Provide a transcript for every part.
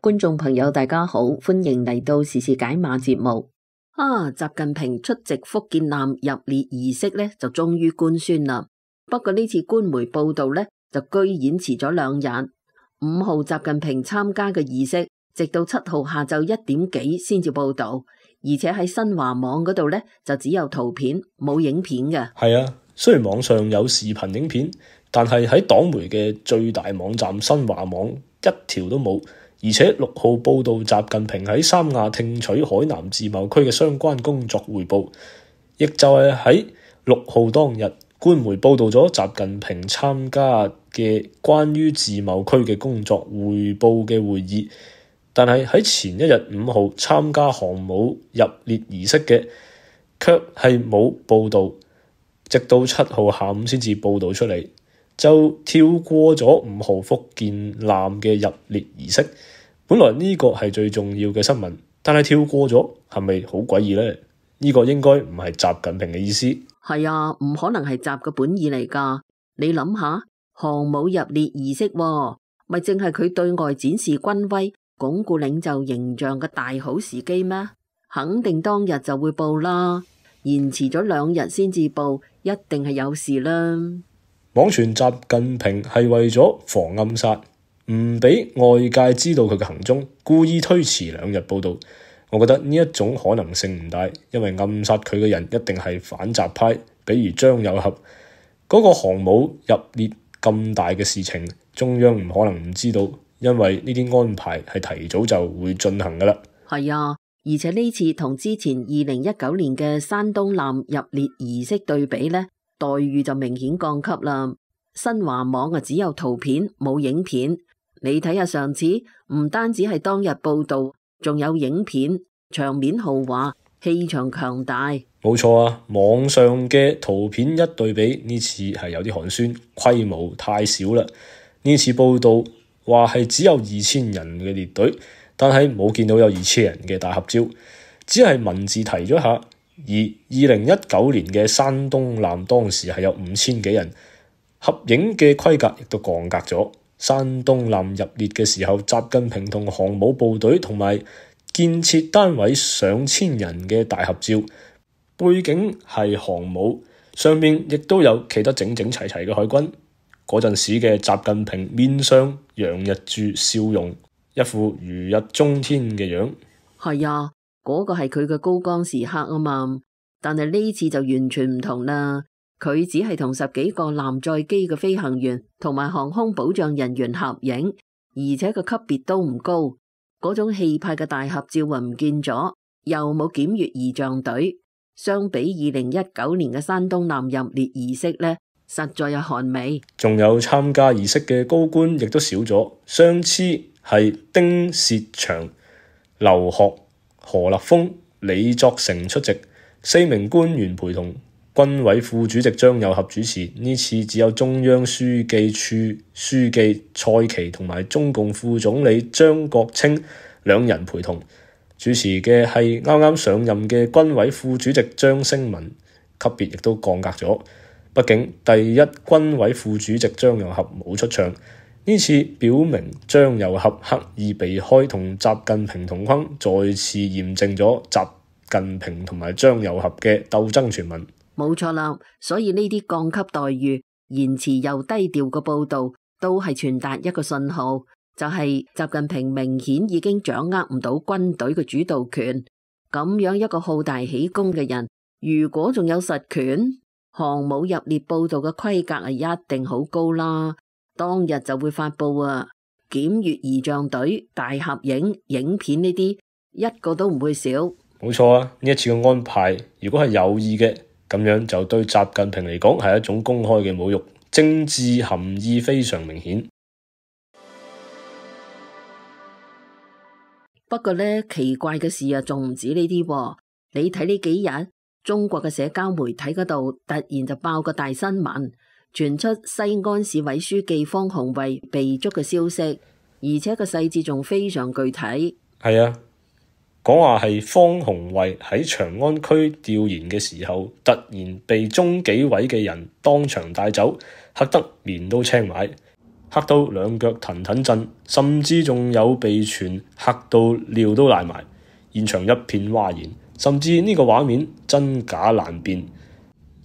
觀眾朋友大家好，歡迎嚟到時事解碼節目。習近平出席福建艦入列儀式呢，就終於官宣啦。不過呢次官媒報道呢，就居然遲咗2日。5號習近平參加嘅儀式，直到7號下晝1點幾先至報道，而且喺新華網嗰度呢，就只有圖片冇影片嘅。係啊，雖然網上有視頻影片，但係喺黨媒嘅最大網站新華網一條都冇。而且6號報道習近平喺三亞聽取海南自貿區嘅相關工作匯報，亦就係喺6號當日，官媒報道咗習近平參加嘅關於自貿區嘅工作匯報嘅會議，但係喺前一日5號參加航母入列儀式嘅，卻係冇報道，直到7號下午先至報道出嚟，就跳過咗5號福建艦嘅入列儀式。本來呢個係最重要嘅新聞，但係跳過咗，係咪好詭異呢？呢個應該唔係習近平嘅意思。係啊，唔可能係習嘅本意嚟㗎。你諗下，航母入列儀式咪淨係佢對外展示軍威、鞏固領袖形象嘅大好時機咩？肯定當日就會報啦，延遲咗2日先至報，一定係有事啦。網傳習近平係為咗防暗殺，唔俾外界知道佢嘅行蹤，故意推遲2日報道。我覺得呢一種可能性唔大，因為暗殺佢嘅人一定係反習派，比如張又俠。嗰個航母入列咁大嘅事情，中央唔可能唔知道，因為呢啲安排係提早就會進行噶啦。係啊，而且呢次同之前2019年嘅山東艦入列儀式對比呢，待遇就明顯降級啦。新華網只有圖片冇影片。你睇下上次，唔單止係當日報道，仲有影片，場面豪華，氣場強大。冇錯啊，網上嘅圖片一對比，呢次係有啲寒酸，規模太少啦。呢次報道話係只有2000人嘅列隊，但係冇見到有2000人嘅大合照，只係文字提咗下。而2019年嘅山東艦當時係有5000幾人，合影嘅規格亦都降格咗。山東艦入列嘅時候，習近平同航母部隊同埋建設單位上千人嘅大合照，背景係航母，上面亦都有企得整整齊齊嘅海軍。嗰陣時嘅習近平面上洋溢住笑容，一副如日中天嘅樣。係啊，嗰個係佢嘅高光時刻啊嘛，但係呢次就完全唔同啦。佢只係同10幾個艦載機嘅飛行員同埋航空保障人員合影，而且個級別都唔高，嗰種氣派嘅大合照唔見咗，又冇檢閱儀仗隊。相比2019年嘅山東艦入列儀式呢，實在有寒味。仲有參加儀式嘅高官亦都少咗，上次係丁薛祥、劉鶴、何立峰、李作成出席，4名官員陪同。軍委副主席張又俠主持，呢次只有中央書記處書記蔡奇同埋中共副總理張國清2人陪同。主持嘅係啱啱上任嘅軍委副主席張升文，級別亦都降格咗。畢竟第一軍委副主席張又俠冇出場，呢次表明張又俠刻意避開同習近平同框，再次驗證咗習近平同埋張又俠嘅鬥爭傳聞。冇錯啦，所以呢啲降級待遇、言辭又低調嘅報道，都係傳達一個信號，就係習近平明顯已經掌握唔到軍隊嘅主導權。咁樣一個好大喜功嘅人，如果仲有實權，航母入列報道嘅規格係一定好高啦。當日就會發布啊，檢閱儀仗隊、大合影、影片呢啲，一個都唔會少。冇錯啊，呢一次嘅安排，如果係有意嘅，咁樣就對習近平嚟講係一種公開嘅侮辱，政治含義非常明顯。不過呢，奇怪嘅事啊，仲唔止呢啲。你睇呢幾日，中國嘅社交媒體嗰度突然就爆個大新聞，傳出西安市委書記方鴻慧被捉嘅消息，而且個細節仲非常具體。係啊，講話係方鴻惠喺長安區調研嘅時候，突然被中紀委嘅人當場帶走，嚇得面都青埋，嚇到兩腳騰騰震，甚至仲有被傳嚇到尿都瀨埋，現場一片嘩然，甚至呢個畫面真假難辨。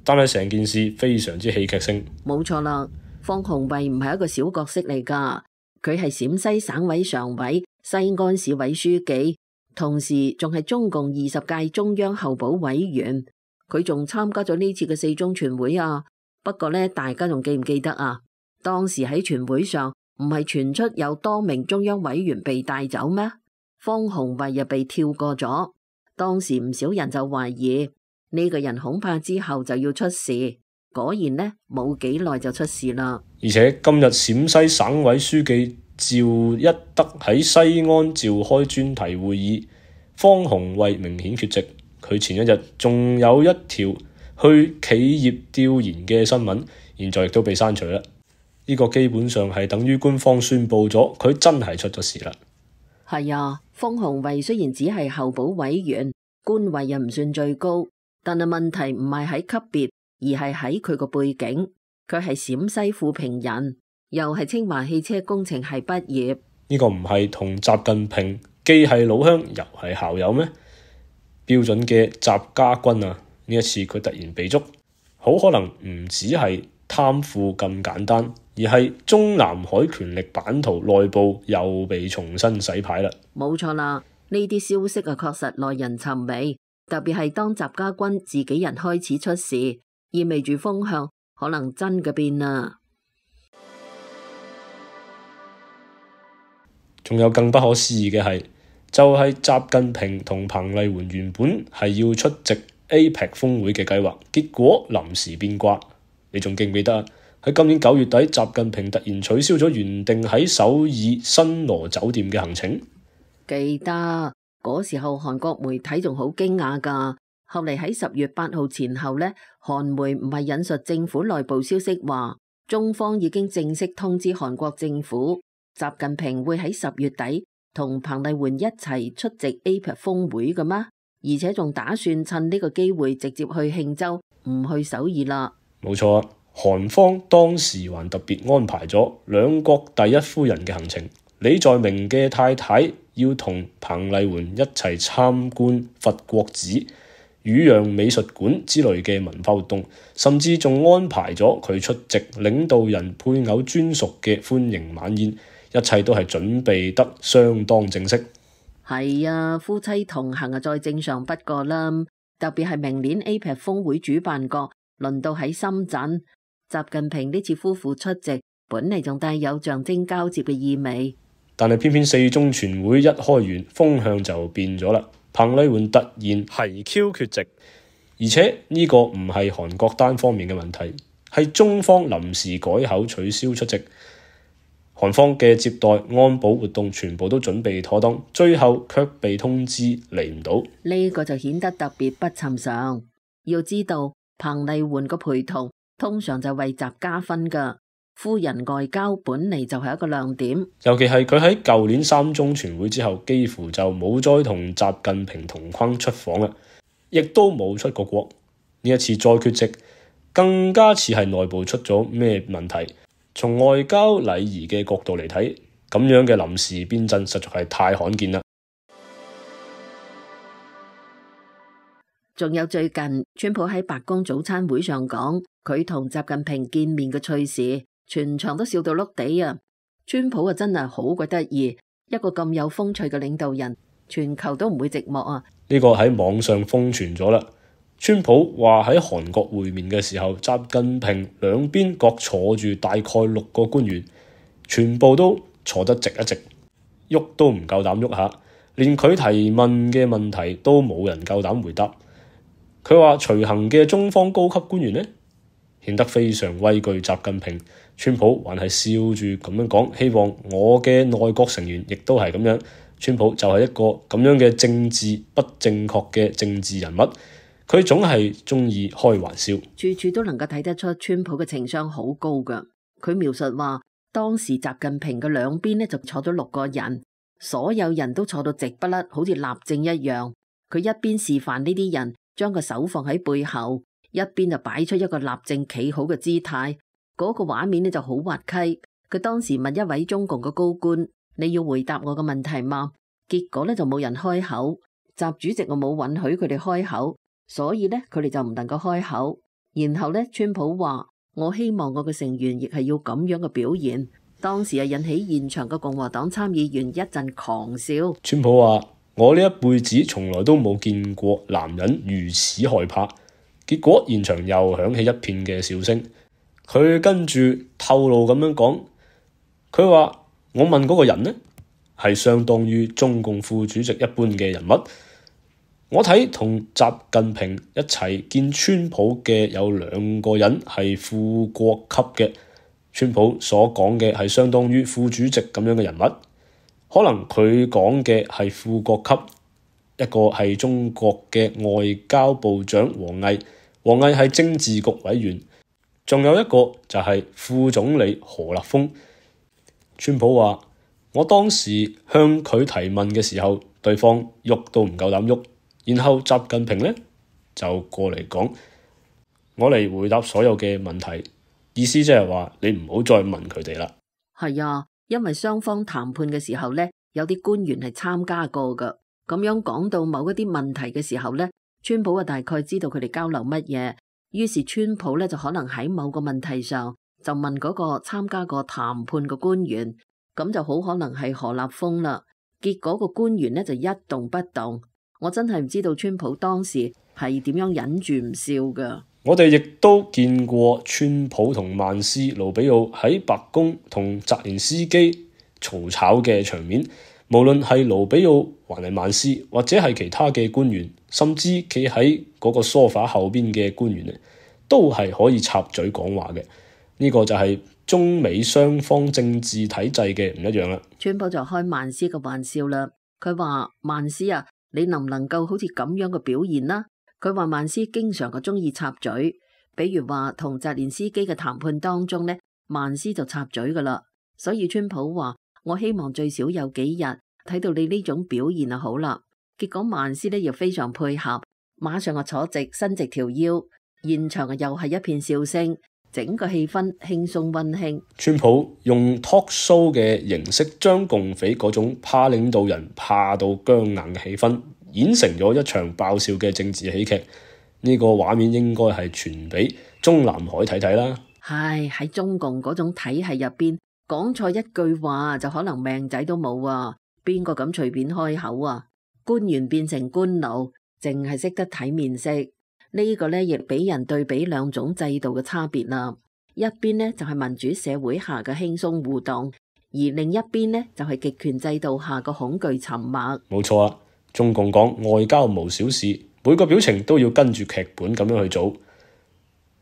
但係成件事非常之戲劇性。冇錯啦，方鴻惠唔係一個小角色嚟㗎，佢係陝西省委常委、西安市委書記。同時仲係中共20屆中央候補委員，佢仲參加咗呢次嘅4中全會啊。不過呢，大家仲記唔記得啊？當時喺全會上唔係傳出有多名中央委員被帶走咩？方鴻惠又被跳過咗。當時唔少人就懷疑呢個人恐怕之後就要出事。果然呢，冇幾耐就出事啦。而且今日陝西省委書記趙一德喺西安召開專題會議，方鴻惠明顯缺席。佢前一日仲有一條去企業調研嘅新聞，現在亦都被刪除啦。呢個基本上係等於官方宣佈咗佢真係出咗事啦。係啊，方鴻惠雖然只係候補委員，官位又唔算最高，但係問題唔係喺級別，而係喺佢個背景。佢係陝西富平人，又係清華汽車工程系畢業。呢個唔係同習近平既係老鄉又係校友咩？標準嘅習家軍啊！呢一次佢突然被捉，好可能唔只係貪腐咁簡單，而係中南海權力版圖內部又被重新洗牌啦。冇錯啦，呢啲消息啊確實耐人尋味，特別係當習家軍自己人開始出事，意味住風向可能真嘅變啦。仲有更不可思議嘅係，就係習近平同彭麗媛原本係要出席 APEC 峰會嘅計劃，結果臨時變卦。你仲記唔記得啊？喺今年9月底，習近平突然取消咗原定喺首爾新羅酒店嘅行程。記得嗰時候韓國媒體仲好驚訝㗎。後嚟喺10月8號前後呢，韓媒唔係引述政府內部消息話，中方已經正式通知韓國政府，習近平會喺10月底同彭麗媛一齊出席 APEC 峰會嘅咩？而且仲打算趁呢個機會直接去慶州，唔去首爾啦。冇錯，韓方當時還特別安排咗兩國第一夫人嘅行程，李在明嘅太太要同彭麗媛一齊參觀佛國寺、汝陽美術館之類嘅文化活動，甚至仲安排咗佢出席領導人配偶專屬嘅歡迎晚宴，一切都係準備得相當正式。係啊，夫妻同行啊，再正常不過啦。特別係明年 APEC 峰會主辦國輪到喺深圳，習近平呢次夫婦出席，本嚟仲帶有象徵交接嘅意味。但係偏偏4中全會一開完，風向就變咗啦。彭麗媛突然係 Q 缺席，而且呢個唔係韓國單方面嘅問題，係中方臨時改口取消出席。韓方嘅接待安保活動全部都準備妥當，最後卻被通知嚟唔到。呢個就顯得特別不尋常。要知道彭麗媛個陪同通常就為習加分㗎，夫人外交本嚟就係一個亮點。尤其係佢喺舊年3中全會之後，幾乎就冇再同習近平同框出訪啦，亦都冇出過國。呢一次再缺席，更加似係內部出咗咩問題。從外交禮儀嘅角度嚟睇，咁樣嘅臨時變陣實在係太罕見啦。仲有最近，川普喺白宮早餐會上講，佢同習近平見面嘅趣事，全場都笑到碌地啊！川普啊，真係好鬼得意，一個咁有風趣嘅領導人，全球都唔會寂寞啊！呢個喺網上瘋傳咗啦。川普話喺韓國會面嘅時候，習近平兩邊各坐住大概6個官員，全部都坐得直一直，喐都唔夠膽喐下，連佢提問嘅問題都冇人夠膽回答。佢話隨行嘅中方高級官員呢，顯得非常畏懼習近平。川普還係笑住咁樣講，希望我嘅內閣成員亦都係咁樣。川普就係一個咁樣嘅政治不正確嘅政治人物。佢總係中意開玩笑，處處都能夠睇得出川普嘅情商好高㗎。佢描述話，當時習近平嘅兩邊呢就坐咗6個人，所有人都坐到直不甩，好似立正一樣。佢一邊示範呢啲人將個手放喺背後，一邊就擺出一個立正企好嘅姿態。嗰個畫面呢就好滑稽。佢當時問一位中共嘅高官：你要回答我嘅問題嗎？結果呢就冇人開口。習主席我冇允許佢哋開口，所以呢，佢哋就唔能夠開口。然後呢，川普話：我希望我嘅成員亦係要咁樣嘅表現。當時引起現場嘅共和黨參議員一陣狂笑。川普話：我呢一輩子從來都冇見過男人如此害怕。結果現場又響起一片嘅笑聲。佢跟住透露咁樣講，佢話：我問嗰個人呢，係相當於中共副主席一般嘅人物。我睇同習近平一齊見川普嘅有兩個人係副國級嘅。川普所講嘅係相當於副主席咁樣嘅人物，可能佢講嘅係副國級。一個係中國嘅外交部長王毅，王毅係政治局委員，仲有一個就係副總理何立峰。川普話：我當時向佢提問嘅時候，對方喐都唔夠膽喐。然後習近平呢就過嚟講：我嚟回答所有嘅問題，意思即係話你唔好再問佢哋啦。係啊，因為雙方談判嘅時候呢，有啲官員係參加過噶。咁樣講到某一啲問題嘅時候呢，川普啊大概知道佢哋交流乜嘢，於是川普呢就可能喺某個問題上就問嗰個參加過談判嘅官員，咁就好可能係何立峰啦。結果個官員呢就一動不動。我真係唔知道川普當時係點樣忍住唔笑噶。我哋亦都見過川普同曼斯、盧比奧喺白宮同澤連斯基嘈吵嘅場面。無論係盧比奧還係曼斯，或者係其他嘅官員，甚至企喺嗰個梳化後邊嘅官員咧，都係可以插嘴講話嘅。呢個就係中美雙方政治體制嘅唔一樣啦。川普就開曼斯嘅玩笑啦，佢話：曼斯啊，你能唔能夠好似咁樣嘅表現啦？佢話曼斯經常嘅中意插嘴，比如話同澤連斯基嘅談判當中呢，曼斯就插嘴噶啦。所以川普話：我希望最少有幾日睇到你呢種表現就好啦。結果曼斯呢又非常配合，馬上就坐直伸直條腰，現場又係一片笑聲，整個氣氛輕鬆溫馨。川普用 talk show 嘅形式將共匪嗰種怕領導人怕到僵硬嘅氣氛演成咗一場爆笑嘅政治喜劇。呢個畫面應該係傳俾中南海睇睇啦。唉，喺中共嗰種體系入邊，講錯一句話就可能命仔都冇啊！邊個敢隨便開口啊？官員變成官奴，淨係識得睇面色。呢個呢亦俾人對比兩種制度嘅差別啦。一邊呢就係民主社會下嘅輕鬆互動，而另一邊呢就係極權制度下嘅恐懼沉默。冇錯啊！中共講外交無小事，每個表情都要跟住劇本咁樣去做。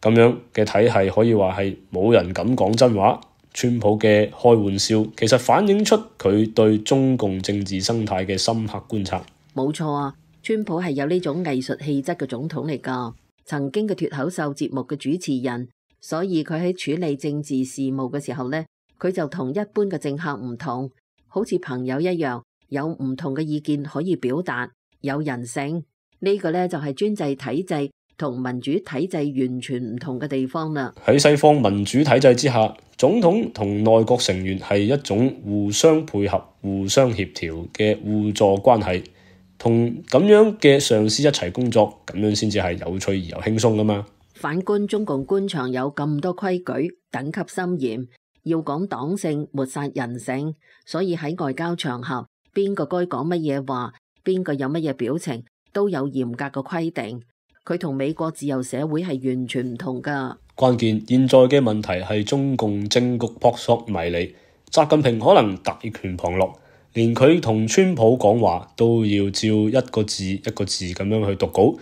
咁樣嘅體系可以話係冇人敢講真話。川普嘅開玩笑其實反映出佢對中共政治生態嘅深刻觀察。冇錯啊，川普係有呢種藝術氣質嘅總統嚟㗎，曾經嘅脫口秀節目嘅主持人，所以佢喺處理政治事務嘅時候呢，佢就同一般嘅政客唔同，好似朋友一樣，有唔同嘅意見可以表達，有人性。呢個呢就係專制體制同民主體制完全唔同嘅地方啦。喺西方民主體制之下，總統同內閣成員係一種互相配合、互相協調嘅互助關係，同咁樣嘅上司一齊工作，咁樣先至係有趣而又輕鬆噶嘛。反觀中共官場有咁多規矩，等級森嚴，要講黨性，抹殺人性，所以喺外交場合，邊個該講乜嘢話，邊個有乜嘢表情，都有嚴格嘅規定。佢同美國自由社會係完全唔同噶。關鍵現在嘅問題係中共政局撲朔迷離，習近平可能大權旁落，連佢同川普講話都要照一個字一個字咁樣去讀稿。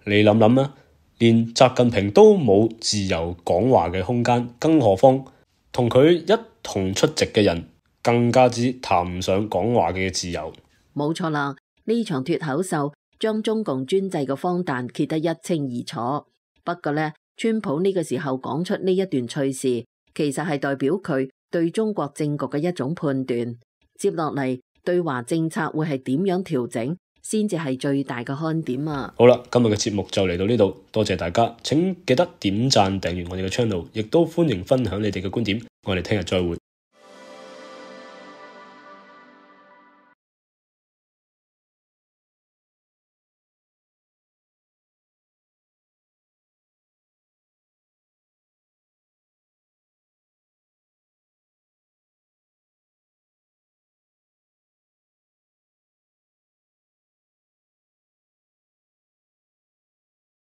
你諗諗啊，連習近平都冇自由講話嘅空間，更何況同佢一同出席嘅人，更加之談唔上講話嘅自由。冇錯啦，呢場脫口秀將中共專制嘅荒誕揭得一清二楚。不過呢，川普呢個時候講出呢一段趣事，其實係代表佢對中國政局嘅一種判斷。接落嚟對華政策會係點樣調整，先至係最大嘅看點啊！好啦，今日嘅節目就嚟到呢度，多謝大家，請記得點讚訂閱我哋嘅 channel，亦都歡迎分享你哋嘅觀點，我哋聽日再會。